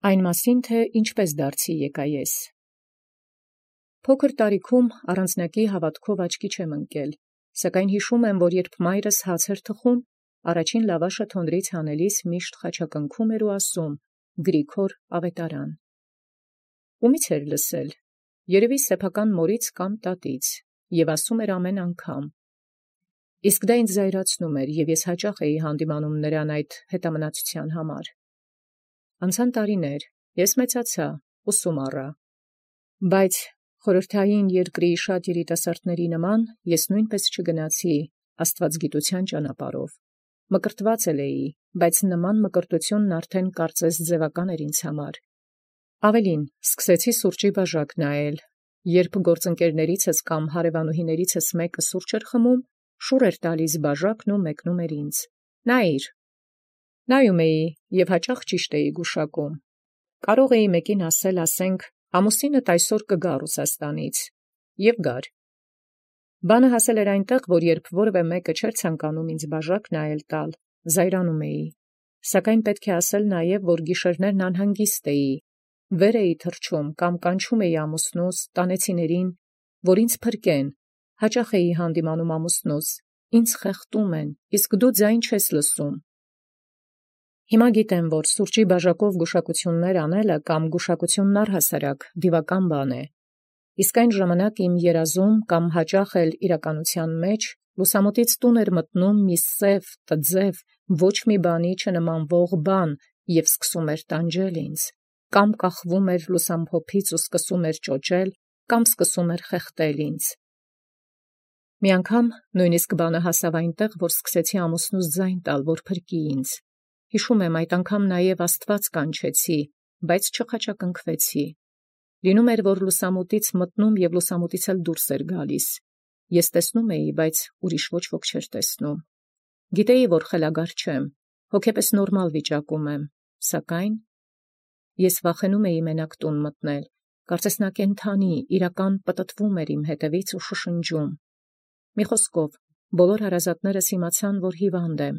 Այն մասին թե ինչպես դարձի եկայ ես։ Փոքր տարիքում առանձնակի հաւատովք աչքի չեմ ընկել, սակայն յիշում եմ, որ երբ մայրս հաց թխուն, առաջին լավաշը թոնրից հանելիս միշտ խաչակնքում էր ու ասում. «Գրիգոր ավետարան»։ Ումի՞ց էր լսել, երևի սեփական մորից կամ տատից, և ասում էր ամեն անգամ։ Իսկ դա ինձ զայրացնում էր, և ես հաճախ էի հանդիմանում նրան այդ հետամնացութեան համար։ Անցան տարիներ, ես մեծացա, ուսում առա, բայց խորհրդային երկրի շատ երիտասարդների նման ես նույնպես չգնացի աստուածագիտության ճանապարհով։ Մկրտված էի, բայց նման մկրտությունն արդեն կարծես ձևական էր ինձ համար։ Ավելին, սկսեցի սուրճի բաժակ նայել, երբ գործընկերներիցս կամ հարևանուհիներիցս մեկը սուրճ էր խմում, շուռ էր տալիս բաժակն ու մեկնում էր ինձ. «Նայիր»։ Նայում էի և հաճախ ճիշտ էի գուշակում։ Կարող էի մեկին ասել, ասենք, ամուսինդ այսօր կգա Ռուսաստանից, և գար։ Բանը հասել էր այնտեղ, որ երբ որևէ մեկը չէր ցանկանում ինձ բաժակ նայել տալ, զայրանում էի, սակայն պետք է ասել նաև, որ գիշերներն անհանգիստ էի, վեր էի թռչում կամ կանչում էի ամուսնուս, տանեցիներին, որ ինձ փրկեն, հաճախ էի հանդիմանում ամուսնուս, ինձ խեղդում են, իսկ դու ձայն չես լսում։ Հիմա գիտեմ, որ սուրճի բաժակով գուշակություններ անելը կամ գուշակությունն առհասարակ դիվական բան է, իսկ այն ժամանակ իմ երազում կամ հաճախ էլ իրականության մեջ լուսամուտից տուն էր մտնում մի սև, տձև, ոչ մի բանի չնմանվող բան և սկսում էր տանջել ինձ, կամ կախվում էր լուսամփոփից ու սկսում էր ճոճել, կամ սկսում էր խեղդել ինձ։ Մի անգամ նույնիսկ բանը հասավ այնտեղ, որ սկսեցի ամուսնուս ձայն տալ, որ փրկի ինձ։ Հիշում եմ, այդ անգամ նաև Աստված կանչեցի, բայց չխաչակնքվեցի։ Լինում էր, որ լուսամուտից մտնում և լուսամուտից էլ դուրս էր գալիս։ Ես տեսնում էի, բայց ուրիշ ոչ ոք չէր տեսնում։ Գիտեի, որ խելագար չեմ, հոգեպես նորմալ վիճակում եմ, սակայն ես վախենում էի մենակ տուն մտնել, կարծես նա կենդանի, իրական պտտվում էր իմ հետևից ու շշնջում։ Մի խոսքով, բոլոր հարազատներս իմացան, որ հիվանդ եմ։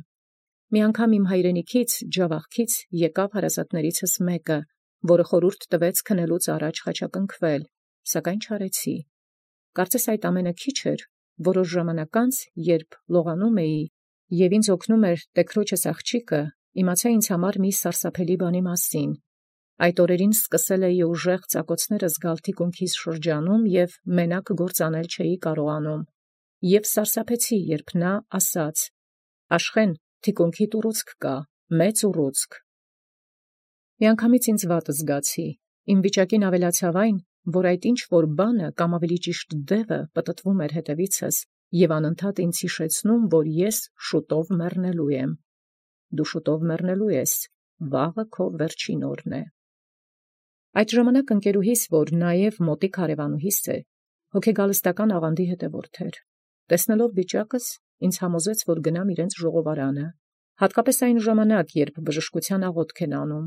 Մի անգամ իմ հայրենիքից, ջավախքից եկավ հարազատներիցս մեկը, որը խորհուրդ տվեց քնելուց առաջ խաչակնքվել, սակայն չարեցի։ Կարծես այդ ամենը քիչ էր, որոշ ժամանակ անց, երբ լողանում էի, և ինձ օգնում էր տեքրոջս աղջիկը, իմացա ինձ համար մի սարսափելի բանի մասին։ Այդ օրերին սկսել էի ուժեղ ծակոցներ զգալ թիկունքիս շրջանում և մենակ գործ անել չէի կարողանում։ Եվ սարսափեցի, երբ նա ասաց. «Աշխեն, թիկունքիդ ուռուցք կա, մեծ ուռուցք»։ Միանգամից ինձ վատ զգացի, իմ վիճակին ավելացավ այն, որ այդ ինչ-որ բանը կամ ավելի ճիշտ դևը պտտվում էր հետևիցս և անընդհատ ինձ հիշեցնում, որ ես շուտով մեռնելու եմ։ Դու շուտով մեռնելու ես, վաղը քո վերջին օրն է։ Այդ ժամանակ ընկերուհիս, որ նաև մոտիկ հարևանուհիս է, հոգեգալստական աղանդի հետևորդ էր։ Տեսնելով վիճակս, ինձ համոզեց, որ գնամ իրենց ժողովարանը, հատկապես այն ժամանակ, երբ բժշկության աղոթք են անում։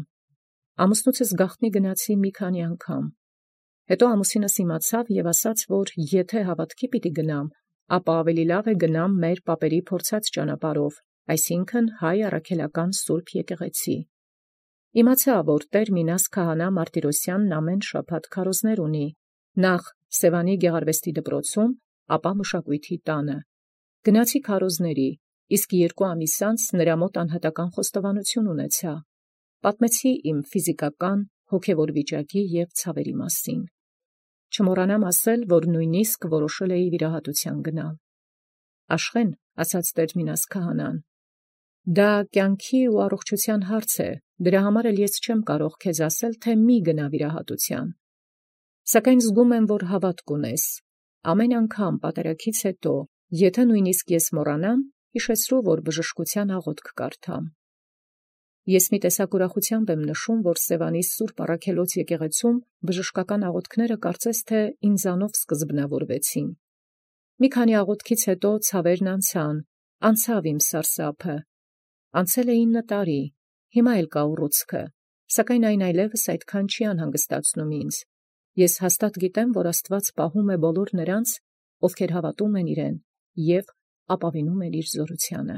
Ամուսնուցս գաղտնի գնացի մի քանի անգամ։ Հետո ամուսինս իմացավ և ասաց, որ եթե հավատքի պիտի գնամ, ապա ավելի լավ է գնամ մեր պապերի փորձած ճանապարհով, այսինքն հայ առաքելական սուրբ եկեղեցի։ Իմացա, որ Տեր Մինաս քահանա Մարտիրոսյանն ամեն շաբաթ քարոզներ ունի, նախ Սևանի գեղարվեստի դպրոցում, ապա մշակույթի տանը։ Գնացի քարոզների, իսկ 2 ամիս անց նրա մոտ անհատական խոստովանություն ունեցա։ Պատմեցի իմ ֆիզիկական, հոգևոր վիճակի և ցավերի մասին։ Չմոռանամ ասել, որ նույնիսկ որոշել էի վիրահատության գնալ։ Աշխեն, ասաց Տեր Մինաս քահանան, դա կյանքի ու առողջության հարց է, դրա համար էլ ես չեմ կարող քեզ ասել, թե մի գնա վիրահատության։ Սակայն զգում եմ, որ հավատք ունես։ Ամեն անգամ պատարագից հետո, եթե նույնիսկ ես մոռանամ, հիշեցրու, որ բժշկության աղոթք կարդամ։ Ես մի տեսակ ուրախությամբ եմ նշում, որ Սևանի Սուրբ Առաքելոց եկեղեցում բժշկական աղոթքները կարծես թե ինձանով սկզբնավորվեցին։ Մի քանի աղոթքից հետո ցավերն անցավ իմ սարսափը։ Անցել է 9 տարի, հիմա էլ կա ուռուցքը, սակայն այն այլևս այդքան չի անհանգստացնում ինձ։ Ես հաստատ գիտեմ, որ Աստված պահում է բոլոր նրանց, ովքեր հավատում են իրեն և ապավինում են իր զորությանը։